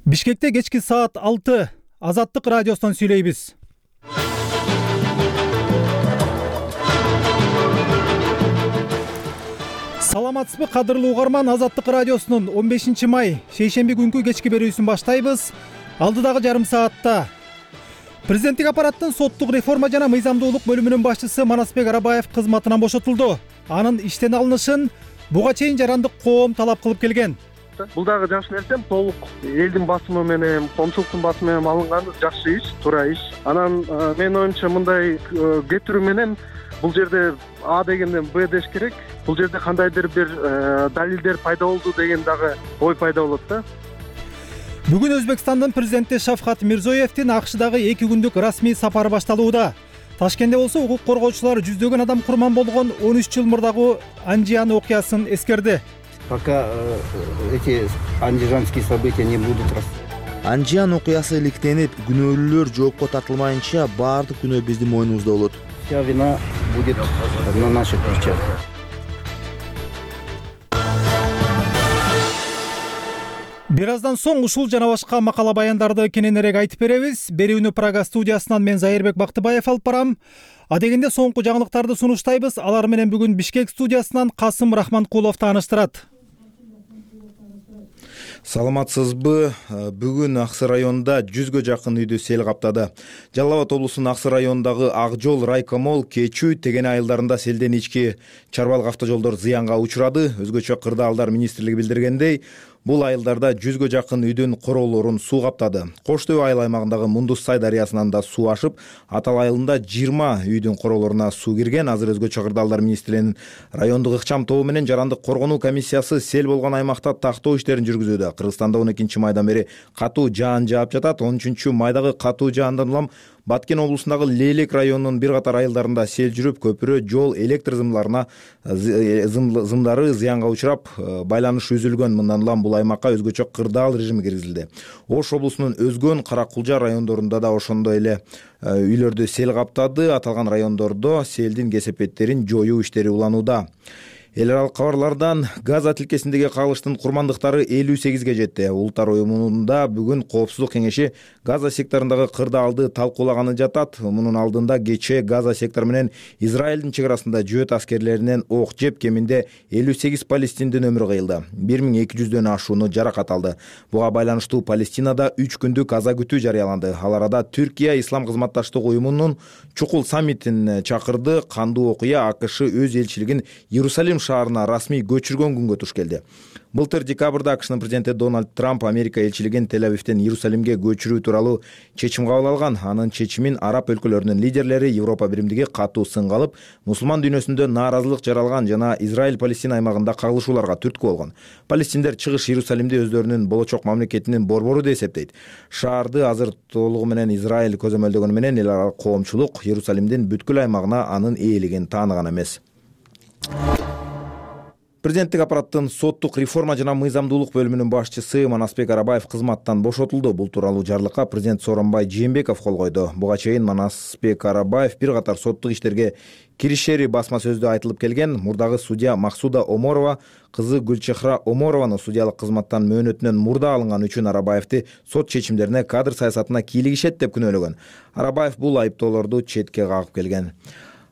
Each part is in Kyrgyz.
Бишкекте кечки саат 6 Азаттык радиосунан сүйлөйбүз. Саламатсызбы кадырлуу угарман, Азаттык радиосунун 15 май шейшемби күнкү кечки берүүсүн баштайбыз. Алдыдагы жарым саатта президенттик аппараттын соттук реформа жана мыйзамдуулук бөлүмүнүн башчысы Манасбек Арабаев кызматынан бошотулду. Анын иштен алынышын буга чейин жарандык коом талап кылып келген. Бул дагы жакшы нерсе, толук элдин басымы менен, коомчулуктун басымы менен алынган жакшы иш, туура иш. Анан менин оюмча мындай кетирүү менен бул жерде А дегенден Б деш керек. Бул жерде кандайдыр бир далилдер пайда болду деген дагы ой пайда болот да. Бүгүн Өзбекстандын президенти Шавкат Мирзиёевдин АКШдагы 2 күндүк расмий сапары башталууда. Ташкентте болсо укук коргоочулар жүздөгөн адам курман болгон 13 жыл мурдагы Анжиан окуясын эскерди. Пока эти андижанские события не будут Анжиан окуясы иликтенип, күнөөлүүлөр жоопко тартылмайынча баардык күнөө биздин мойнубузда болот. Вся вина будет на наших плечах. Бир аздан соң ушул жана башка макала баяндарды кененирээк айтып беребиз. Берүүнү Прага студиясынан мен Зайырбек Бактыбаев алып барам. Адегенде соңку жаңылыктарды сунуштайбыз. Алар менен бүгүн Бишкек студиясынан Касым Рахманкулов тааныштырат. Саламатсызбы? Бүгүн Аксы районунда 100гө жакын үйдү сел каптады. Жалал Абад облусунун Аксы районундагы Ак жол, Райкомол, Кечүү, Тегене айылдарында селден ички чарбалык автожолдор зыянга учурады. Өзгөчө кырдаалдар министрлиги билдиргендей, бул айылдарда 100гө жакын үйдүн короолорун суу каптады. Кош Төбө айыл аймагындагы Мундус Сай дарыясынан да суу ашып, Атал айылында 20 үйдүн короолоруна суу кирген. Азыр өзгөчө кырдаалдар министрлигинин райондук ыкчам тобу менен жарандык коргонуу комиссиясы сел болгон аймакта тактоо иштерин жүргүзүүдө. Кыргызстанда 12 майдан бери катуу жаан жаап жатат. 13 майдагы катуу жаандан улам Баткен облусундагы Лейлек районунун бир катар айылдарында сел жүрүп, көпүрө, жол, электр зымдары зыянга учурап, байланыш үзүлгөн. Мындан улам бул аймакка өзгөчө кырдаал режими киргизилди. Ош облусунун Өзгөн, Каракулжа райондорунда да ошондой эле үйлөрдү сел каптады. Аталган райондордо селдин кесепеттерин жоюу иштери уланууда. Эл аралык кабарлардан Газа тилкесиндеги кагылыштын курмандыктары 58ге жетти. Улуттар уюмунда бүгүн Коопсуздук кеңеши Газа секторундагы кырдаалды талкуулаганы жатат. Мунун алдында кечээ Газа сектору менен Израилдин чек арасында жөөт аскерлеринен ок жеп кеминде 58 палестиндин өмүрү кыйылды. 1200дөн ашууну жаракат алды. Буга байланыштуу Палестинада 3 күндүк аза күтүү жарыяланды. Ал арада Түркия Ислам кызматташтык уюмунун чукул саммитин чакырды. Кандуу окуя АКШ өз элчилигин Иерусалим шаарына расмий көчүргөн күнгө туш келди. Былтыр декабрда АКШнын президенти Дональд Трамп Америка элчилигин Тель-Авивден Иерусалимге көчүрүү тууралуу чечим кабыл алган. Анын чечимин араб өлкөлөрүнүн лидерлери Европа биримдиги катуу сынга алып, мусулман дүйнөсүндө нааразылык жаралган жана Израиль-Палестина аймагында кагылышууларга түрткү болгон. Палестиндер чыгыш Иерусалимди өздөрүнүн болочок мамлекетинин борбору деп эсептейт. Шаарды азыр толугу менен Израиль көзөмөлдөгөнү менен эл аралык коомчулук Иерусалимдин бүткүл аймагына анын ээлигин тааныган эмес. Президенттик аппараттын соттук реформа жана мыйзамдуулук бөлүмүнүн башчысы Манасбек Арабаев кызматтан бошотулду. Бул тууралуу жарлыкка президент Сооронбай Жээнбеков кол койду. Буга чейин Манасбек Арабаев бир катар соттук иштерге киришери басма сөздө айтылып келген. Мурдагы судья Максуда Оморова кызы Гүлчехра Оморованы судьялык кызматтан мөөнөтүнөн мурда алынган үчүн Арабаевди сот чечимдерине кадр саясатына кийлигишет деп күнөөлөгөн. Арабаев бул айыптоолорду четке кагып келген.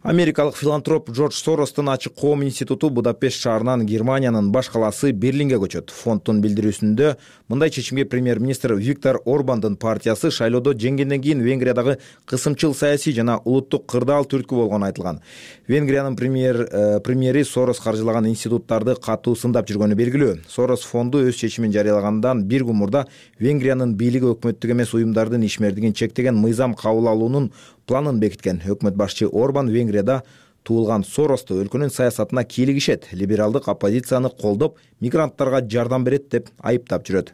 Америкалык филантроп Джордж Соростун Ачык коом институту Будапешт шаарынан Германиянын баш калаасы Берлинге көчөт. Фонддун билдирүүсүндө мындай чечимге премьер-министр Виктор Орбандын партиясы шайлоодо жеңгенден кийин Венгриядагы кысымчыл саясий жана улуттук кырдаал түрткү болгону айтылган. Венгриянын премьери Сорос каржылаган институттарды катуу сындап жүргөнү белгилүү. Сорос фонду өз чечимин жарыялагандан бир күн мурда Венгриянын бийлиги өкмөттүк эмес уюмдардын ишмердигин чектеген мыйзам кабыл алуунун планын бекиткен. Өкмөт башчы Орбан Венгрияда туулган Соросту өлкөнүн саясатына кийлигишет, либералдык оппозицияны колдоп, мигранттарга жардам берет деп айыптап жүрөт.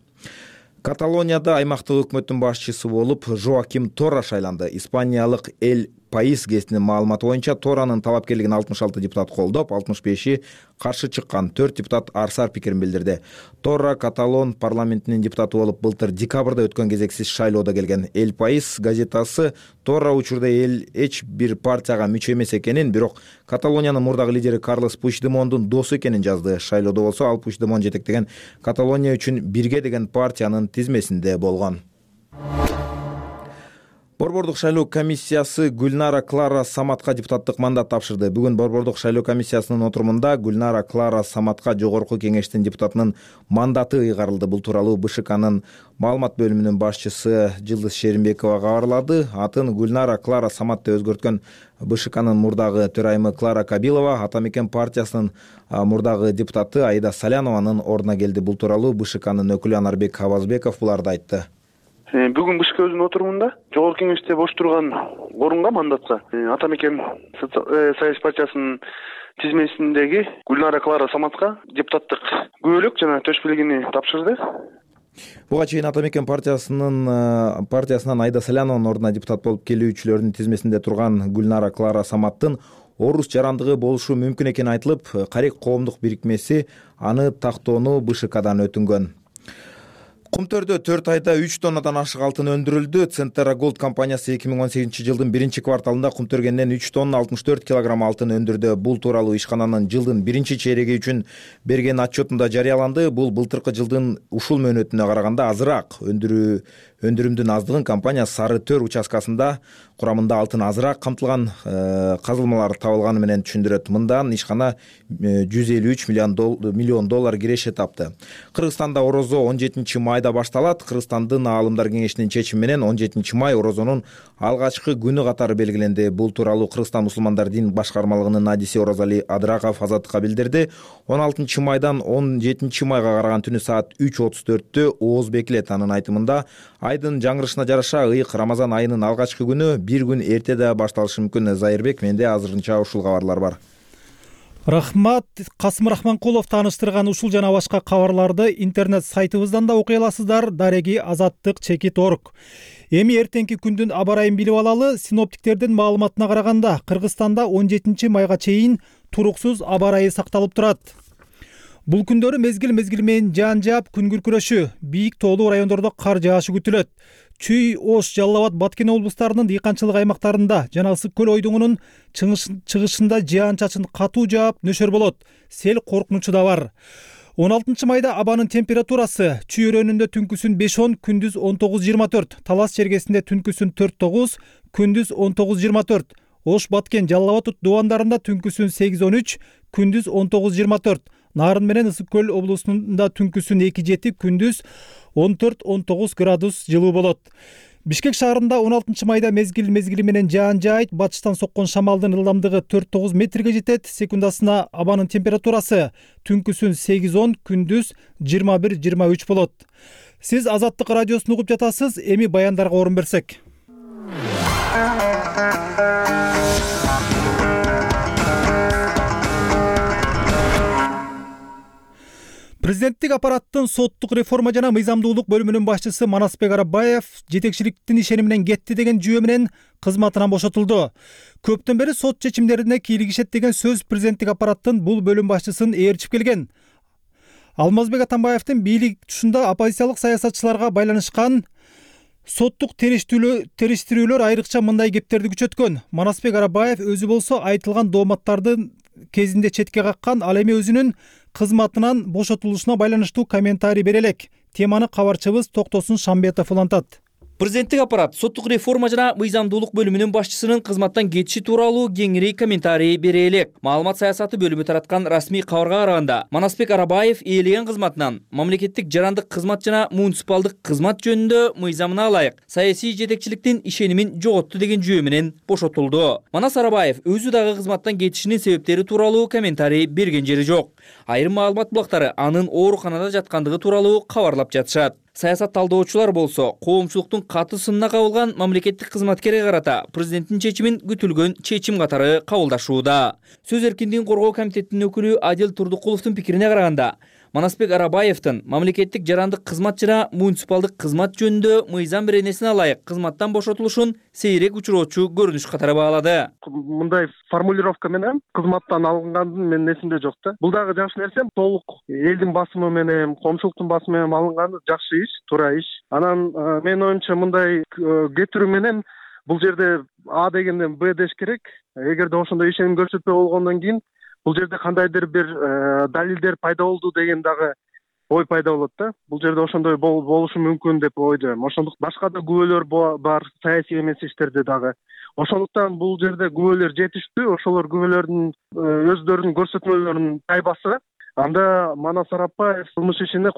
Каталонияда аймактык өкмөттүн башчысы болуп Жоаким Торра шайланды. Испаниялык Эль гезитинин маалыматы боюнча Торанын талапкерлигин 66 депутат колдоп, 65 каршы чыккан. 4 депутат арсар пикирин билдирди. Тора Каталон парламентинин депутаты болуп былтыр декабрда өткөн кезексиз шайлоодо келген. El País газетасы Тора учурда эч бир партияга мүчө эмес экенин, бирок Каталониянын мурдагы лидери Карлос Пучдемондун досу экенин жазды. Шайлоодо болсо ал Пучдемон жетектеген Каталония үчүн бирге деген партиянын тизмесинде болгон. Борбордук шайлоо комиссиясы Гүлнара Клара Саматка депутаттык мандат тапшырды. Бүгүн Борбордук шайлоо комиссиясынын отурумунда Гүлнара Клара Саматка жогорку кеңештин депутатынын мандаты ыйгарылды. Бул тууралуу БШКнын маалымат бөлүмүнүн башчысы Жылдыз Шеримбекова кабарлады. Атын Гүлнара Клара Саматты өзгөрткөн БШКнын мурдагы төрайымы Клара Кабилова Ата Мекен партиясынын мурдагы депутаты Аида Салянованын ордуна келди. Бул тууралуу БШКнын өкүлү Анарбек Абазбеков буларды айтты. Бүгүн БШК өзүнүн отурумунда жогорку кеңеште бош турган орунга мандатса Ата Мекен Союз партиясынын тизмесиндеги Гүлнара Клара Саматка депутаттык күбөлүк жана төш бийлигини тапшырды. Буга чейин Ата Мекен партиясынан Аида Салянованын ордуна депутат болуп келүүчүлөрдүн тизмесинде турган Гүлнара Клара Саматтын орус жарандыгы болушу мүмкүн экени айтылып, Карек коомдук бирикмеси аны тактоону БШКдан өтүнгөн. Кумтөрдө 4 айда 3 тоннадан ашык алтын өндүрүлдү. Центера Gold компаниясы 2018 жылдын 1-кварталында Кумтөргенден 3 тонна 64 килограмм алтын өндүрдү. Бул тууралуу ишкананын жылдын 1-чейреги үчүн берген отчетунда жарыяланды. Бул былтыркы жылдын ушул мөөнөтүнө караганда азыраак. Өндүрүмдүн аздыгын компания Сары Төр участкасында курамында алтын азыраак камтылган казылмалар табылганы менен түшүндүрөт. Мындан ишкана 153 миллион доллар киреше тапты. Кыргызстанда орозо 17 майда башталат. Кыргызстандын аалымдар кеңешинин чечими менен 17 май орозонун алгачкы күнү катары белгиленди. Бул тууралуу Кыргызстан мусулмандар дин башкармалыгынын надиси Оразали Адыраков Азаттыкка билдирди. 16 майдан 17 майга караган түнү саат 3:34 ооз бекилет. Анын айтымында айдын жаңырышына жараша ыйык Рамазан айынын алгачкы күнү бир күн эрте да башталышы мүмкүн. Зайырбек, менде азырынча ушул кабарлар бар. Рахмат. Касым Рахманкулов тааныштырган ушул жана башка кабарларды интернет сайтыбыздан да окуй аласыздар. Дареги-азаттык.org. Эми эртеңки күндүн аба ырайын билип алалы. Синоптиктердин маалыматына караганда Кыргызстанда 17 майга чейин туруксуз аба ырайы сакталып турат. Бул күндөрү мезгил менен жаан жаап, күн күркүрөшү, бийик тоолуу райондордо кар жаашы күтүлөт. Чүй, Ош, Жалал Абад, Баткен облустарынын дыйканчылык аймактарында жана Ысык көл ойдуңунун чыгышында жаан-чачын катуу жаап, нөшөр болот. Сел коркунучу да бар. 16 майда абанын температурасы Чүй өрөөнүндө түнкүсүн 5-10, күндүз 19-24, Талас чергесинде түнкүсүн 4-9, күндүз 19-24, Ош, Баткен, Жалал Абад дубандарында түнкүсүн 8-13, күндүз 19-24, Нарын менен Ысык көл облусунда түнкүсүн 2-7, күндүз 14-19 градус жылуу болот. Бишкек шаарында 16 майда мезгил менен жаан жаайт, батыштан соккон шамалдын ылдамдыгы 4-9 метрге жетет. Секундасына абанын температурасы түнкүсүн 8-10, күндүз 21-23 болот. Сиз Азаттык радиосун угуп жатасыз. Эми баяндарга орун берсек. Президенттик аппараттын соттук реформа жана мыйзамдуулук бөлүмүнүн башчысы Манасбек Арабаев жетекчиликтин ишеними менен кетти деген жүйө менен кызматынан бошотулду. Көптөн бери сот чечимдерине кийлигишет деген сөз президенттик аппараттын бул бөлүм башчысын ээрчип келген. Алмазбек Атамбаевдин бийлик тушунда оппозициялык саясатчыларга байланышкан соттук териштирүүлөр айрыкча мындай кептерди күчөткөн. Манасбек Арабаев өзү болсо айтылган дооматтардын кезинде четке каккан, ал эми өзүнүн кызматынан бошотулушуна байланыштуу комментарий бере элек. Теманы кабарчыбыз Токтосун Шамбетов улантат. Президенттик аппарат соттук реформа жана мыйзамдуулук бөлүмүнүн башчысынын кызматтан кетиши тууралуу кеңири комментарий бере элек. Маалымат саясаты бөлүмү тараткан расмий кабарга караганда, Манасбек Арабаев ээлеген кызматынан мамлекеттик жарандык кызмат жана муниципалдык кызмат жөнүндө мыйзамына ылайык саясий жетекчиликтин ишенимин жоготту деген жүйө менен бошотулду. Манас Арабаев өзү дагы кызматтан кетишинин себептери тууралуу комментарий берген жери жок. Айрым маалымат булактары анын ооруканада жаткандыгы тууралуу кабарлап жатышат. Саясат талдоочулар болсо, коомчулуктун каты сынына кабылган мамлекеттик кызматкерге карата президенттин чечимин күтүлгөн чечим катары кабылдашууда. Сөз эркиндигин коргоо комитетинин өкүлү Адил Турдукуловдун пикирине караганда, Манасбек Арабаевдин мамлекеттик жарандык кызмат жана муниципалдык кызмат жөнүндө мыйзам беренесине ылайык кызматтан бошотулушун сейрек учуроочу көрүнүш катары баалады. Мындай формулировка менен кызматтан алынгандын менин эсимде жок да. Бул дагы жакшы нерсе, толук элдин басымы менен, коомчулуктун басымы менен алынганы жакшы иш, туура иш. Анан менин оюмча мындай кетирүү менен бул жерде А дегенден Б деш керек. Эгерде ошондой ишеним көрсөтпөй болгондон кийин бул жерде кандайдыр бир далилдер пайда болду деген дагы ой пайда болот да. Бул жерде ошондой болушу мүмкүн деп ойдойм. Ошондуктан башка да күбөлөр бар, саясий эмес иштерде дагы. Ошондуктан бул жерде күбөлөр жетиштүү, ошолор күбөлөрдүн өздөрүнүн көрсөтмөлөрүн тайбаса, анда Манас Арапбаев кылмыш ишине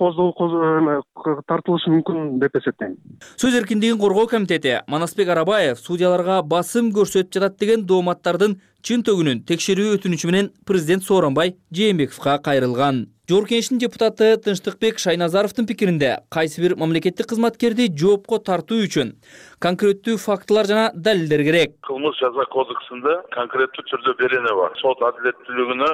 тартылышы мүмкүн деп эсептейм. Сөз эркиндигин коргоо комитети Манасбек Арабаев судьяларга басым көрсөтүп жатат деген дооматтардын чын төгүнүн текшерүү өтүнүчү менен президент Сооронбай Жээнбековго кайрылган. Жогорку Кеңештин депутаты Тынчтыкбек Шайназаровдун пикиринде кайсы бир мамлекеттик кызматкерди жоопко тартуу үчүн конкреттүү фактылар жана далилдер керек. Кылмыш жаза кодексинде конкреттүү түрдө берене бар. Сот адилеттүүлүгүнө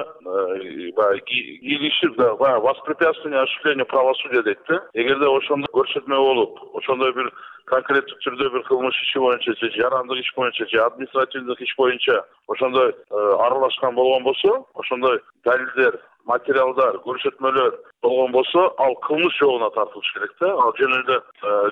кийлигишип воспрепятствование осуществлению правосудия дейт да. Эгерде ошондой көрсөтмө болуп, ошондой бир конкреттүү түрдө бир кылмыш иши боюнча же жарандык иш боюнча же административдик иш боюнча ошондой аралашкан болгон болсо, ошондой далилдер, материалдар, көрсөтмөлөр болгон болсо, ал кылмыш жолуна тартылыш керек да. Ал жөн эле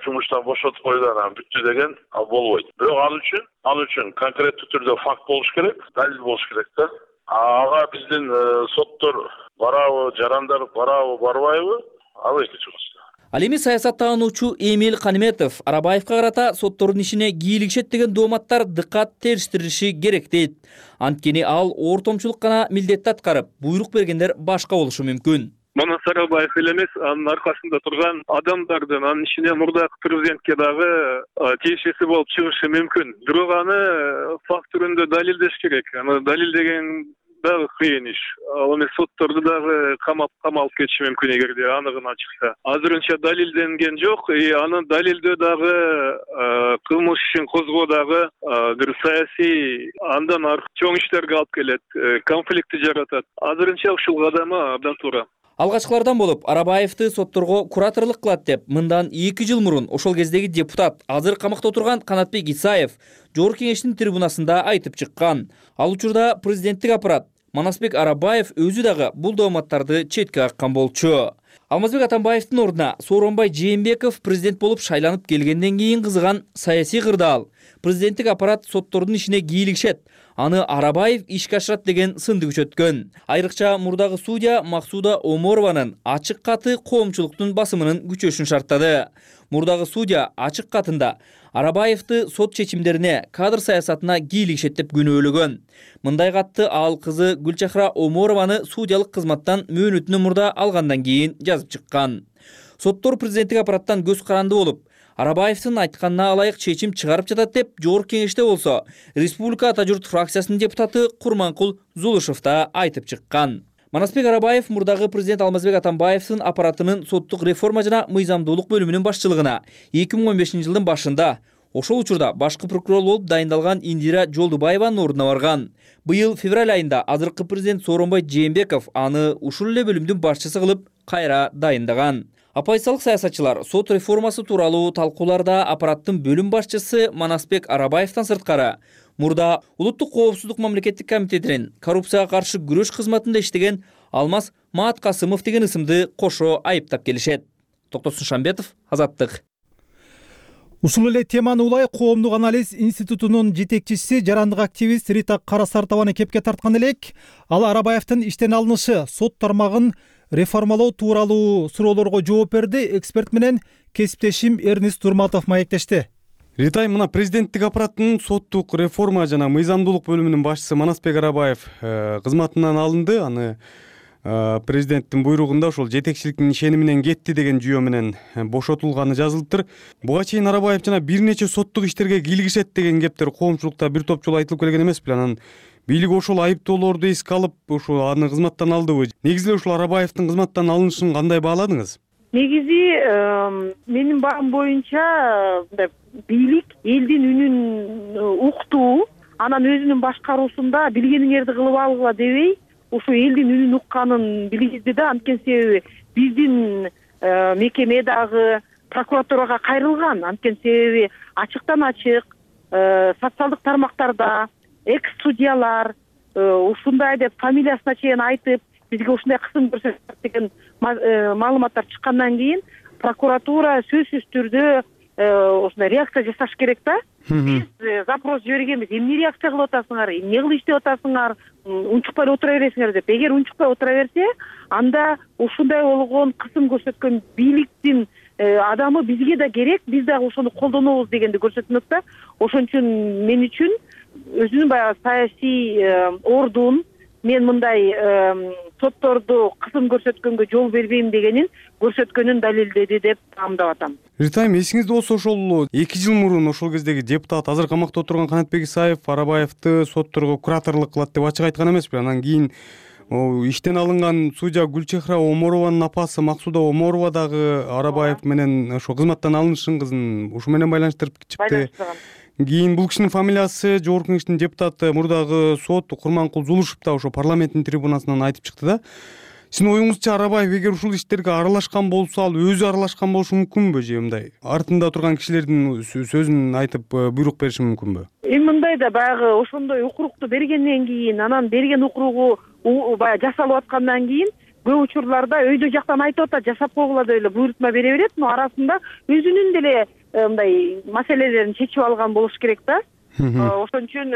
жумуштан бошотуп койгон, анан бүттү деген ал болбойт. Бирок ал үчүн конкреттүү түрдө факт болуш керек, далил болуш керек да. Ага биздин соттор барабы, жарандар барабы, барбайбы? Ал экинчи вопрос. Ал эми саясаттануучу Эмиль Каниметов Арабаевга карата соттордун ишине кийлигишет деген дооматтар дыкат териштирилиши керек дейт. Анткени ал ортомчулук гана милдетти аткарып, буйрук бергендер башка болушу мүмкүн. Манас Арабаев эле эмес, анын аркасында турган адамдардын анын ичинен мурдакы президентке дагы тиешеси болуп чыгышы мүмкүн. Бирок аны факт түрүндө далилдеш керек. Аны далилдеген дагы кыйын иш. Ал эми сотторду дагы камалып кетиши мүмкүн эгерде аныгына чыкса. Азырынча далилденген жок, аны далилдөө дагы кылмыш ишин козгоо дагы бир саясий андан чоң иштерге алып келет, конфликтти жаратат. Азырынча ушул кадамы абдан туура. Алгачкылардан болуп Арабаевди сотторго кураторлук кылат деп мындан 2 жыл мурун ошол кездеги депутат, азыр камакта отурган Канатбек Исаев Жогорку Кеңештин трибунасында айтып чыккан. Ал учурда президенттик аппарат Манасбек Арабаев өзү дагы бул дооматтарды четке каккан болчу. Алмазбек Атамбаевдин ордуна Сооронбай Жээнбеков президент болуп шайланып келгенден кийин кызыган саясий кырдаал. Президенттик аппарат соттордун ишине кийлигишет, аны Арабаев ишке ашырат деген сынды күчөткөн. Айрыкча мурдагы судья Максуда Оморованын ачык каты коомчулуктун басымынын күчөшүн шарттады. Мурдагы судья ачык катында Арабаевди сот чечимдерине, кадр саясатына кийлигишет деп күнөөлөгөн. Мындай катты ал кызы Гүлчахра Оморованы судьялык кызматтан мөөнөтүнөн мурда алгандан кийин жазып чыккан. Соттор президенттик аппараттан көз каранды болуп, Арабаевдин айтканына ылайык чечим чыгарып жатат деп Жогорку Кеңеште болсо, Республика Ата журт фракциясынын депутаты Курманкул Зулушев да айтып чыккан. Манасбек Арабаев мурдагы президент Алмазбек Атамбаевдин аппаратынын соттук реформа жана мыйзамдуулук бөлүмүнүн башчылыгына 2015 жылдын башында, ошол учурда башкы прокурор болуп дайындалган Индира Жолдубаеванын ордуна барган. Быйыл февраль айында азыркы президент Сооронбай Жээнбеков аны ушул эле бөлүмдүн башчысы кылып кайра дайындаган. Оппозициялык саясатчылар сот реформасы тууралуу талкууларда аппараттын бөлүм башчысы Манасбек Арабаевден сырткары мурда Улуттук коопсуздук мамлекеттик комитетинин коррупцияга каршы күрөш кызматында иштеген Алмаз Мааткасымов деген ысымды кошо айыптап келишет. Токтосун Шамбетов, Азаттык. Ушул эле теманы улай Коомдук анализ институтунун жетекчиси, жарандык активист Рита Карасартованы кепке тарткан элек. Ал Арабаевдин иштен алынышы, сот тармагын реформалоо тууралуу суроолорго жооп берди. Эксперт менен кесиптешим Эрнис Турматов маектешти. Ритай, мына президенттик аппараттын соттук реформа жана мыйзамдуулук бөлүмүнүн башчысы Манасбек Арабаев кызматынан алынды. Аны президенттин буйругунда ошол жетекчиликтин ишениминен кетти деген жүйө менен бошотулганы жазылыптыр. Буга чейин Арабаев жана бир нече соттук иштерге кийлигишет деген кептер коомчулукта бир топ жолу айтылып келген эмес беле? Анан бийлик ошол айыптоолорду эске алып, ошо аны кызматтан алдыбы? Негизи эле ушул Арабаевдин кызматтан алынышын кандай бааладыңыз? Негизи менин баам боюнча бийлик элдин үнүн уктуу, анан өзүнүн башкаруусунда билгениңерди кылып алгыла дебей, ушу элдин үнүн укканын билгизди да. Анткени себеби биздин мекеме дагы прокуратурага кайрылган. Анткени себеби ачыктан ачык социалдык тармактарда экс судьялар ушундай деп фамилиясына чейин айтып бизге ушундай кысым көрсөтөт деген маалыматтар чыккандан кийин прокуратура сөзсүз түрдө ушундай реакция жасаш керек да. Биз запрос жибергенбиз, эмне реакция кылып атасыңар, эмне кылып иштеп атасыңар, унчукпай отура бересиңер деп. Эгер унчукпай отура берсе, анда ушундай болгон кысым көрсөткөн бийликтин адамы бизге да керек, биз дагы ошону колдонобуз дегенди көрсөтмөк да. Ошон үчүн мен үчүн өзүнүн баягы саясий ордун мен мындай сотторду кысым көрсөткөнгө жол бербейм дегенин көрсөткөнүн далилдеди деп таамдап атам. Ритайм, эсиңизде болсо ошол 2 жыл мурун ошол кездеги депутат, азыр камакта отурган Канатбек Исаев Арабаевди сотторго кураторлук кылат деп ачык айткан эмеспи? Анан кийин иштен алынган судья Гүлчехра Оморованын апасы Максуда Оморова дагы Арабаев менен ошо кызматтан алынышын кызын ушу менен байланыштырып чыкты. Кийин бул кишинин фамилиясы Жогорку Кеңештин депутаты, мурдагы сот Курманкул Зулушев да ошо парламенттин трибунасынан айтып чыкты да. Сиздин оюңузча Арабаев эгер ушул иштерге аралашкан болсо, ал өзү аралашкан болушу мүмкүнбү же мындай артында турган кишилердин сөзүн айтып буйрук бериши мүмкүнбү? Эми мындай да баягы ошондой укурукту бергенден кийин, анан берген укуругу баягы жасалып аткандан кийин көп учурларда өйдө жактан айтып атат, жасап койгула деп эле буйрутма бере берет, но арасында өзүнүн деле мындай маселелерин чечип алган болуш керек да. Ошон үчүн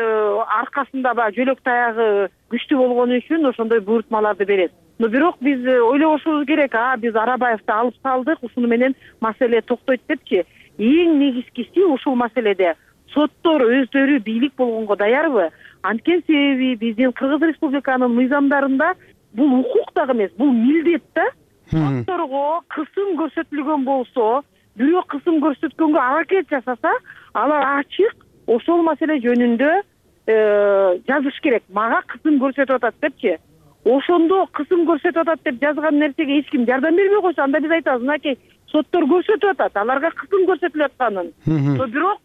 аркасында баягы жөлөк таягы күчтүү болгону үчүн ошондой буйрутмаларды берет. Но бирок биз ойлобошубуз керек, биз Арабаевди алып салдык, ушуну менен маселе токтойт депчи. Эң негизгиси ушул маселеде соттор өздөрү бийлик болгонго даярбы? Анткени себеби биздин Кыргыз Республиканын мыйзамдарында бул укук дагы эмес, бул милдет да. Сотторго кысым көрсөтүлгөн болсо, бирөө кысым көрсөткөнгө аракет жасаса, алар ачык ошол маселе жөнүндө жазыш керек. Мага кысым көрсөтүп атат депчи. Ошондо кысым көрсөтүп атат деп жазган нерсеге эч ким жардам бербей койсо, анда биз айтабыз, мынакей соттор көрсөтүп атат, аларга кысым көрсөтүлүп атканын. Но бирок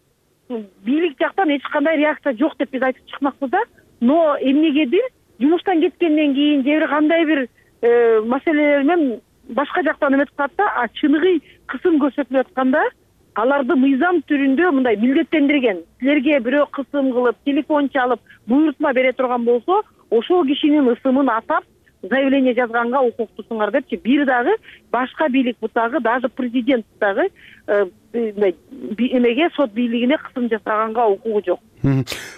бийлик жактан эч кандай реакция жок деп биз айтып чыкмакпыз да. Но эмнегедир жумуштан кеткенден кийин же бир кандай бир маселелер менен башка жактан эметип калат да, чыныгы кысым көрсөтүлүп атканда аларды мыйзам түрүндө мындай милдеттендирген. Силерге бирөө кысым кылып, телефон чалып, буйрутма бере турган болсо, ошол кишинин ысымын атап заявление жазганга укуктусуңар депчи. Бир дагы башка бийлик бутагы, даже президент дагы эмеге сот бийлигине кысым жасаганга укугу жок.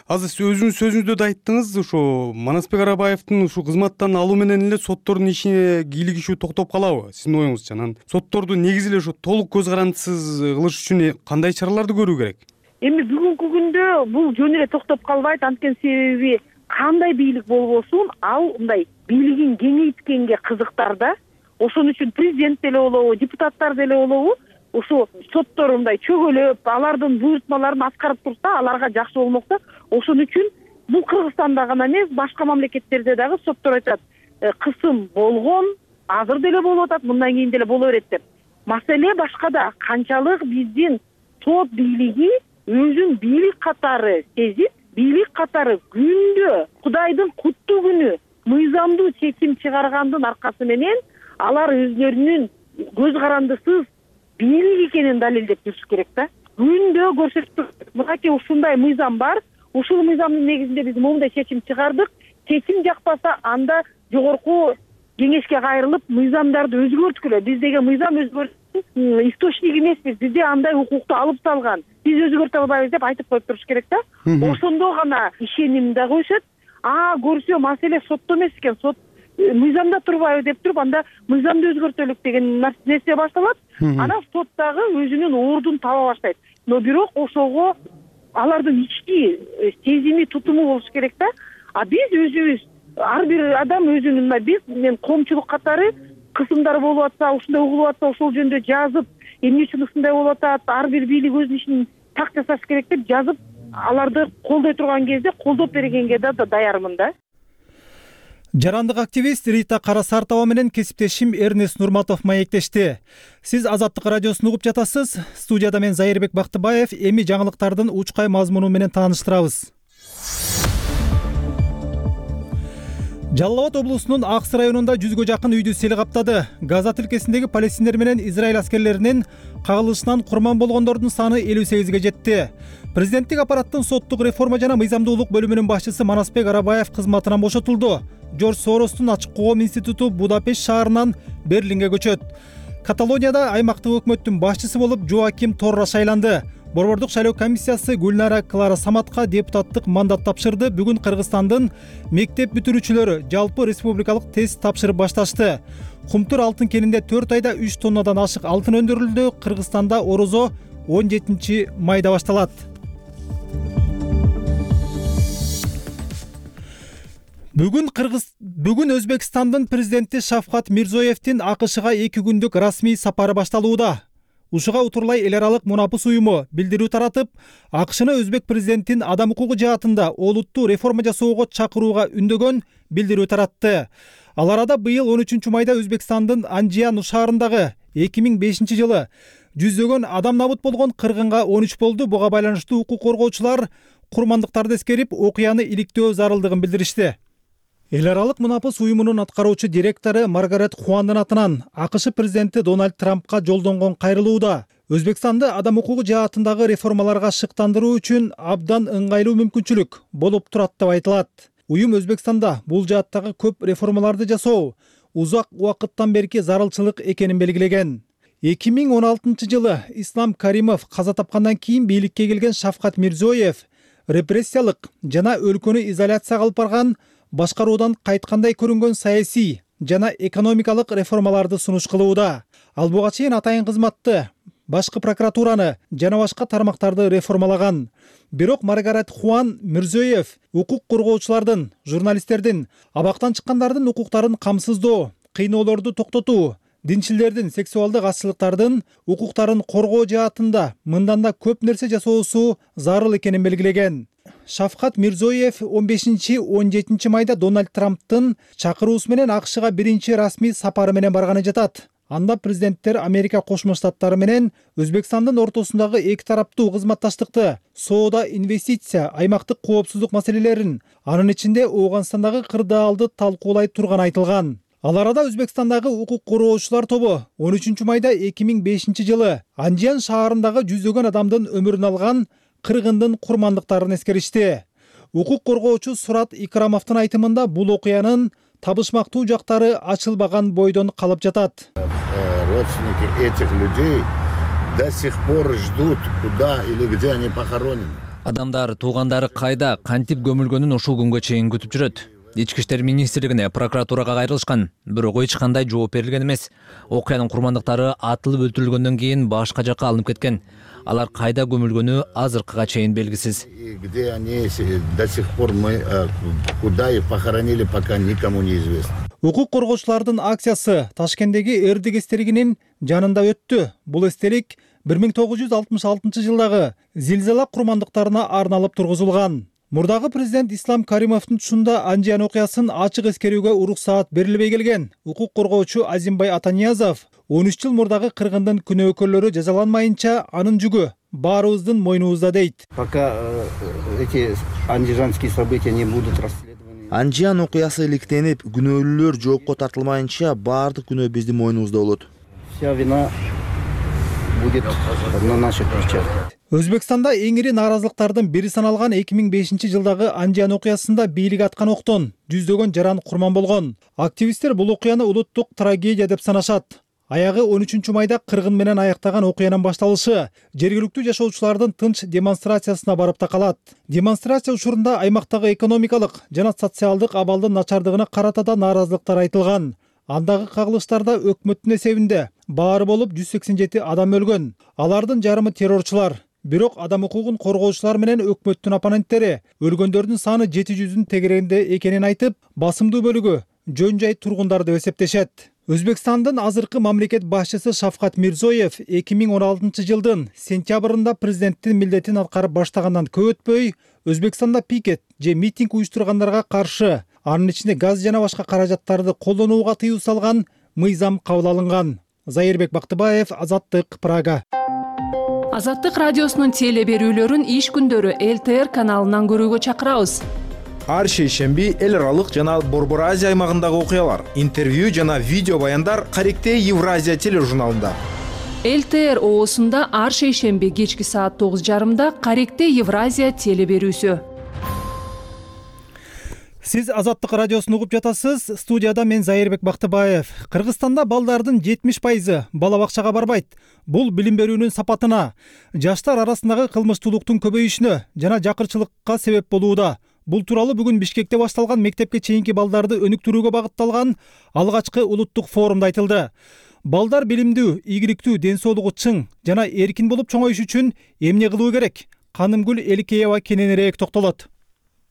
Азыр сиз өзүңүз сөзүңүздө да айттыңыз, ушу Манасбек Арабаевдин ушу кызматтан алуу менен эле соттордун ишине кийлигишүү токтоп калабы? Сиздин оюңузча, анан сотторду негизи эле ошо толук көз карандысыз кылыш үчүн кандай чараларды көрүү керек? Эми бүгүнкү күндө бул жөн эле токтоп калбайт, анткени себеби кандай бийлик болбосун, ал мындай бийлигин кеңейткенге кызыктар да. Ошон үчүн президент деле болобу, депутаттар деле болобу, ушу соттор мындай чөгөлөп, алардын буйрутмаларын аткарып турса, аларга жакшы болмок да. Ошон үчүн бул Кыргызстанда гана эмес, башка мамлекеттерде дагы соттор айтат, кысым болгон, азыр деле болуп атат, мындан кийин деле боло берет деп. Маселе башкада, канчалык биздин сот бийлиги өзүн бийлик катары сезип, бийлик катары күндө Кудайдын куттуу күнү мыйзамдуу чечим чыгаргандын аркасы менен алар өзлөрүнүн көз карандысыз бийлик экенин далилдеп жүрүш керек да. Күндө көрсөтүп, мынакей ушундай мыйзам бар, ушул мыйзамдын негизинде биз моундай чечим чыгардык. Чечим жакпаса, анда жогорку кеңешке кайрылып мыйзамдарды өзгөрткүлө. Биз деген мыйзам өзгөртүү источник эмеспиз. Бизде андай укукту алып салган. Биз өзгөртө албайбыз деп айтып коюп туруш керек да. Ошондо гана ишеним дагы өсөт. Көрсө маселе сотто эмес экен, сот мыйзамда турбайбы деп туруп, анда мыйзамды өзгөртөлүк деген нерсе башталат. Анан сот дагы өзүнүн ордун таба баштайт. Но бирок ошого алардын ички сезими, тутуму болуш керек да. Биз өзүбүз, ар бир адам өзүнүн, мен коомчулук катары кысымдар болуп атса, ушундай угулуп атса, ошол жөнүндө жазып, эмне үчүн ушундай болуп атат, ар бир бийлик өзүнүн ишин так жасаш керек деп жазып, аларды колдой турган кезде колдоп бергенге да даярмын да. Жарандык активист Рита Карасартова менен кесиптешим Эрнест Нурматов маектешти. Сиз Азаттык радиосун угуп жатасыз. Студияда мен Зайырбек Бактыбаев. Эми жаңылыктардын учкай мазмуну менен тааныштырабыз. Жалал Абад облусунун Аксы районунда 100гө жакын үйдү сел каптады. Газа тилкесиндеги палестиндер менен Израиль аскерлеринин кагылышынан курман болгондордун саны 58ге жетти. Президенттик аппараттын соттук реформа жана мыйзамдуулук бөлүмүнүн башчысы Манасбек Арабаев кызматынан бошотулду. Жорж Соростун ачык коом институту Будапешт шаарынан Берлинге көчөт. Каталонияда аймактык өкмөттүн башчысы болуп Жоаким Торра шайланды. Борбордук шайлоо комиссиясы Гүлнара Клара Саматка депутаттык мандат тапшырды. Бүгүн Кыргызстандын мектеп бүтүрүүчүлөрү жалпы республикалык тест тапшырып башташты. Кумтур алтын кенинде 4 айда 3 тоннадан ашык алтын өндүрүлдү. Кыргызстанда орозо 17-майда башталат. Бүгүн Өзбекстандын президенти Шавкат Мирзиёевдин АКШга 2 күндүк расмий сапары башталууда. Ушуга утурлай эл аралык мунапыс уюму билдирүү таратып, АКШны өзбек президентин адам укугу жаатында олуттуу реформа жасоого чакырууга үндөгөн билдирүү таратты. Ал арада быйыл 13-майда Өзбекстандын Анжиан шаарындагы 2005 жылы жүздөгөн адам набыт болгон кыргынга 13 болду. Буга байланыштуу укук коргоочулар курмандыктарды эскерип, окуяны иликтөө зарылдыгын билдиришти. Эл аралык мунапыс уюмунун аткаруучу директору Маргарет Хуандын атынан АКШ президенти Дональд Трампка жолдонгон кайрылууда Өзбекстанды адам укугу жаатындагы реформаларга шыктандыруу үчүн абдан ыңгайлуу мүмкүнчүлүк болуп турат деп айтылат. Уюм Өзбекстанда бул жааттагы көп реформаларды жасоо узак убакыттан берки зарылчылык экенин белгилеген. 2016 жылы Ислам Каримов каза тапкандан кийин бийликке келген Шавкат Мирзиёев репрессиялык жана өлкөнү изоляцияга алып барган башкаруудан кайткандай көрүнгөн саясий жана экономикалык реформаларды сунуш кылууда. Ал буга чейин атайын кызматты, башкы прокуратураны жана башка тармактарды реформалаган. Бирок Маргарет Хуан Мирзиёев укук коргоочулардын, журналисттердин, абактан чыккандардын укуктарын камсыздоо, кыйноолорду токтотуу, динчилердин сексуалдык азчылыктардын укуктарын коргоо жаатында мындан да көп нерсе жасоосу зарыл экенин белгилеген. Шавкат Мирзиёев 15-17 майда Дональд Трамптын чакыруусу менен АКШга биринчи расмий сапары менен барганы жатат. Анда президенттер Америка Кошмо Штаттары менен Өзбекстандын ортосундагы эки тараптуу кызматташтыкты, соода, инвестиция, аймактык коопсуздук маселелерин, анын ичинде Ооганстандагы кырдаалды талкуулай турганы айтылган. Ал арада Өзбекстандагы укук коргоочулар тобу 13-майда 2005 жылы Анжиан шаарындагы жүздөгөн адамдын өмүрүн алган кыргындын курмандыктарын эскеришти. Укук коргоочу Сурат Икрамовдун айтымында бул окуянын табышмактуу жактары ачылбаган бойдон калып жатат. Родственники этих людей до сих пор ждут, куда или где они похоронены. Адамдар туугандары кайда, кантип көмүлгөнүн ушул күнгө чейин күтүп жүрөт. Ички иштер министрлигине, прокуратурага кайрылышкан, бирок эч кандай жооп берилген эмес. Окуянын курмандыктары атылып өлтүрүлгөндөн кийин башка жакка алынып кеткен. Алар кайда көмүлгөнү азыркыга чейин белгисиз. Где они до сих пор мы куда их похоронили, пока никому не известно. Укук коргоочулардын акциясы Ташкенттеги Эрдик эстелигинин жанында өттү. Бул эстелик 1966 жылдагы зилзала курмандыктарына арналып тургузулган. Мурдагы президент Ислам Каримовдун тушунда Анжиан окуясын ачык эскерүүгө уруксаат берилбей келген. Укук коргоочу Азимбай Атаниязов 13 жыл мурдагы кыргындын күнөөкөрлөрү жазаланмайынча анын жүгү баарыбыздын мойнубузда дейт. Пока эти андижанские события не будут расследованы. Анжиан окуясы иликтенип, күнөөлүүлөр жоопко тартылмайынча баардык күнөө биздин мойнубузда болот. Вся вина будет на наших плечах. Өзбекстанда эң ири нааразылыктардын бири саналган 2005 жылдагы Анжиан окуясында бийлик аткан октон жүздөгөн жаран курман болгон. Активисттер бул окуяны улуттук трагедия деп санашат. Аягы 13-майда кыргын менен аяктаган окуянын башталышы жергиликтүү жашоочулардын тынч демонстрациясына барып такалат. Демонстрация учурунда аймактагы экономикалык жана социалдык абалдын начардыгына карата да нааразылыктар айтылган. Андагы кагылыштарда өкмөттүн эсебинде баары болуп 187 адам өлгөн. Алардын жарымы террорчулар. Бирок адам укугун коргоочулар менен өкмөттүн оппоненттери өлгөндөрдүн саны 700-дун тегерегинде экенин айтып, басымдуу бөлүгү жөн жай тургундар деп эсептешет. Өзбекстандын азыркы мамлекет башчысы Шавкат Мирзиёев 2016 жылдын сентябрында президенттин милдетин аткарып баштагандан көп өтпөй Өзбекстанда пикет же митинг уюштургандарга каршы, анын ичинде газ жана башка каражаттарды колдонууга тыюу салган мыйзам кабыл алынган. Зайырбек Бактыбаев, Азаттык, Прага. Азаттык радиосунун теле берүүлөрүн иш күндөрү ЛТР каналынан көрүүгө чакырабыз. ар шейшемби эл аралык жана Борбор Азия аймагындагы окуялар, интервью жана видео баяндар Каректей Евразия тележурналында. ЛТР ООсунда ар шейшемби кечки саат 9:30 Каректей Евразия теле берүүсү. Сиз Азаттык радиосун угуп жатасыз. Студияда мен Зайырбек Бактыбаев. Кыргызстанда балдардын 70% бала бакчага барбайт. Бул билим берүүнүн сапатына, жаштар арасындагы кылмыштуулуктун көбөйүшүнө жана жакырчылыкка себеп болууда. Бул тууралуу бүгүн Бишкекте башталган мектепке чейинки балдарды өнүктүрүүгө багытталган алгачкы улуттук форумда айтылды. Балдар билимдүү, ийгиликтүү, ден соолугу чың жана эркин болуп чоңоюш үчүн эмне кылуу керек? Канымгүл Эликеева кененирээк токтолот.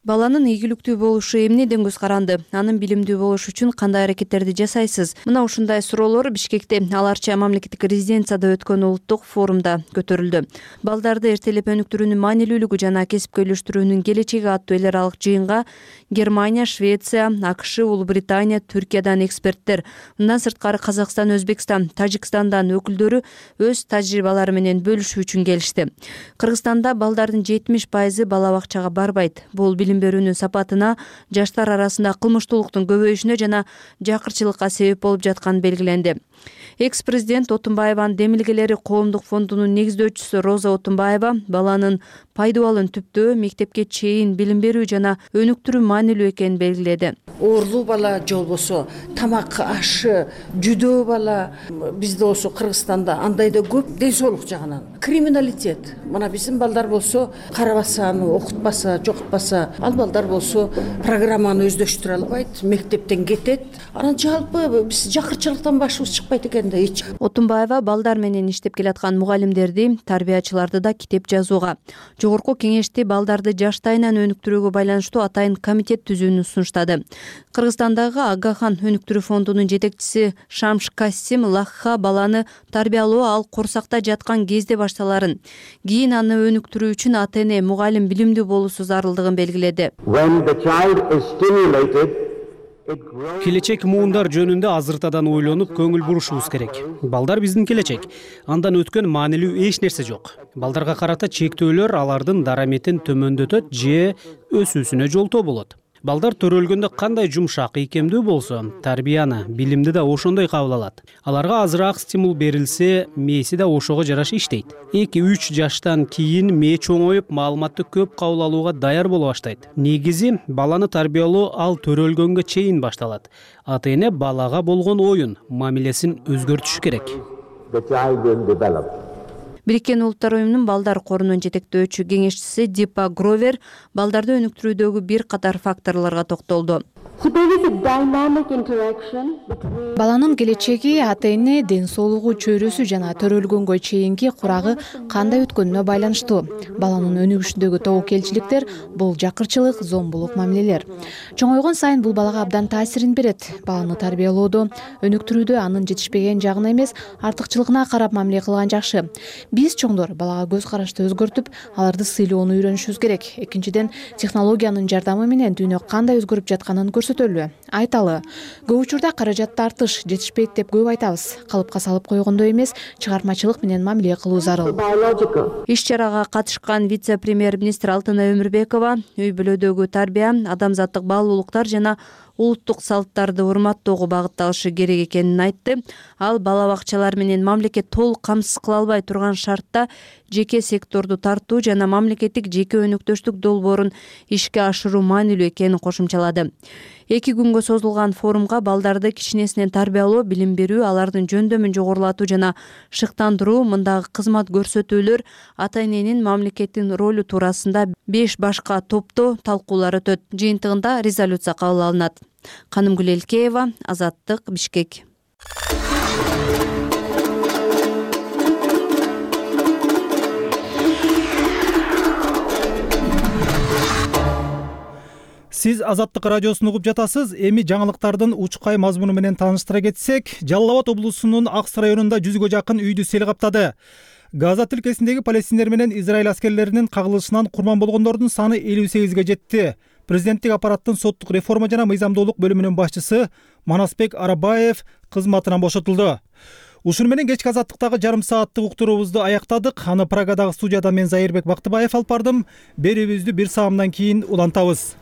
Баланын ийгиликтүү болушу эмнеден көз каранды? Анын билимдүү болушу үчүн кандай аракеттерди жасайсыз? Мына ушундай суроолор Бишкекте Аларча мамлекеттик резиденцияда өткөн улуттук форумда көтөрүлдү. Балдарды эртелеп өнүктүрүүнүн маанилүүлүгү жана кесипкө үйлөштүрүүнүн келечеги аттуу эл аралык жыйынга Германия, Швеция, АКШ, Улуу Британия, Түркиядан эксперттер, мындан сырткары Казакстан, Өзбекстан, Тажикстандан өкүлдөрү өз тажрыйбалары менен бөлүшүү үчүн келишти. Кыргызстанда балдардын 70% бала бакчага барбайт. Бул билим берүүнүн сапатына, жаштар арасында кылмыштуулуктун көбөйүшүнө жана жакырчылыкка себеп болуп жатканы белгиленди. Экс-президент Отунбаеванын демилгелери коомдук фондунун негиздөөчүсү Роза Отунбаева баланын пайдубалын түптөө мектепке чейин билим берүү жана өнүктүрүү маанилүү экенин белгиледи. Оорлуу бала же болбосо тамак ашы жүдөө бала бизде болсо Кыргызстанда андай да көп ден соолук жагынан. Криминалитет. Мына биздин балдар болсо карабаса, окутпаса, жокутпаса, ал балдар болсо программаны өздөштүрө албайт, мектептен кетет. Анан жалпы биз жакырчылыктан башыбыз чыкпайт экен да эч. Отунбаева балдар менен иштеп келаткан мугалимдерди, тарбиячыларды да китеп жазууга, жогорку кеңешти балдарды жаштайынан өнүктүрүүгө байланыштуу атайын комитет түзүүнү сунуштады. Кыргызстандагы Агахан өнүктүрүү фондунун жетекчиси Шамш Касим Лахха баланы тарбиялоо ал корсакта жаткан кезде башталарын, кийин аны өнүктүрүү үчүн ата-эне, мугалим билимдүү болуусу зарылдыгын белгиледи. Келечек муундар жөнүндө азыртадан ойлонуп көңүл бурушубуз керек. Балдар биздин келечек. Андан өткөн маанилүү эч нерсе жок. Балдарга карата чектөөлөр алардын дараметин төмөндөтөт же өсүүсүнө жолтоо болот. Балдар төрөлгөндө кандай жумшак, ийкемдүү болсо, тарбияны, билимди да ошондой кабыл алат. Аларга азыраак стимул берилсе, мээси да ошого жараша иштейт. 2-3 жаштан кийин мээ чоңоюп, маалыматты көп кабыл алууга даяр боло баштайт. Негизи баланы тарбиялоо ал төрөлгөнгө чейин башталат. Ата-эне балага болгон оюн, мамилесин өзгөртүшү керек. Бириккен Улуттар уюмунун балдар корунун жетектөөчү кеңешчиси Дипа Гровер балдарды өнүктүрүүдөгү бир катар факторлорго токтолду. Баланын келечеги ата-эне, ден соолугу, чөйрөсү жана төрөлгөнгө чейинки курагы кандай өткөнүнө байланыштуу. Баланын өнүгүшүндөгү тобокелчиликтер бул жакырчылык, зомбулук мамилелер. Чоңойгон сайын бул балага абдан таасирин берет. Баланы тарбиялоодо, өнүктүрүүдө анын жетишпеген жагына эмес, артыкчылыгына карап мамиле кылган жакшы. Биз чоңдор балага көз карашты өзгөртүп, аларды сыйлоону үйрөнүшүбүз керек. Экинчиден, технологиянын жардамы менен дүйнө кандай өзгөрүп жатканын көрсөтөлү, айталы. Көп учурда каражат тартыш, жетишпейт деп көп айтабыз. Калыпка салып койгондой эмес, чыгармачылык менен мамиле кылуу зарыл. Иш-чарага катышкан вице-премьер-министр Алтынай Өмүрбекова үй бүлөдөгү тарбия, адамзаттык баалуулуктар жана улуттук салттарды урматтоого багытталышы керек экенин айтты. Ал бала бакчалар менен мамлекет толук камсыз кыла албай турган шартта жеке секторду тартуу жана мамлекеттик жеке өнөктөштүк долбоорун ишке ашыруу маанилүү экенин кошумчалады. 2 күнгө созулган форумга балдарды кичинесинен тарбиялоо, билим берүү, алардын жөндөмүн жогорулатуу жана шыктандыруу, мындагы кызмат көрсөтүүлөр, ата-эненин мамлекеттин ролу туурасында 5 башка топто талкуулар өтөт. Жыйынтыгында резолюция кабыл алынат. Канымгүл Эликеева, Азаттык, Бишкек. Сиз Азаттык радиосун угуп жатасыз. Эми жаңылыктардын учкай мазмуну менен тааныштыра кетсек, Жалал Абад облусунун Аксы районунда 100гө жакын үйдү сел каптады. Газа тилкесиндеги палестиндер менен Израиль аскерлеринин кагылышынан курман болгондордун саны 58ге жетти. Президенттик аппараттын соттук реформа жана мыйзамдуулук бөлүмүнүн башчысы Манасбек Арабаев кызматынан бошотулду. Ушуну менен кечки Азаттыктагы жарым сааттык уктуруубузду аяктадык. Аны Прагадагы студияда мен Зайырбек Бактыбаев алып бардым. Берүүбүздү 1 саамдан кийин улантабыз.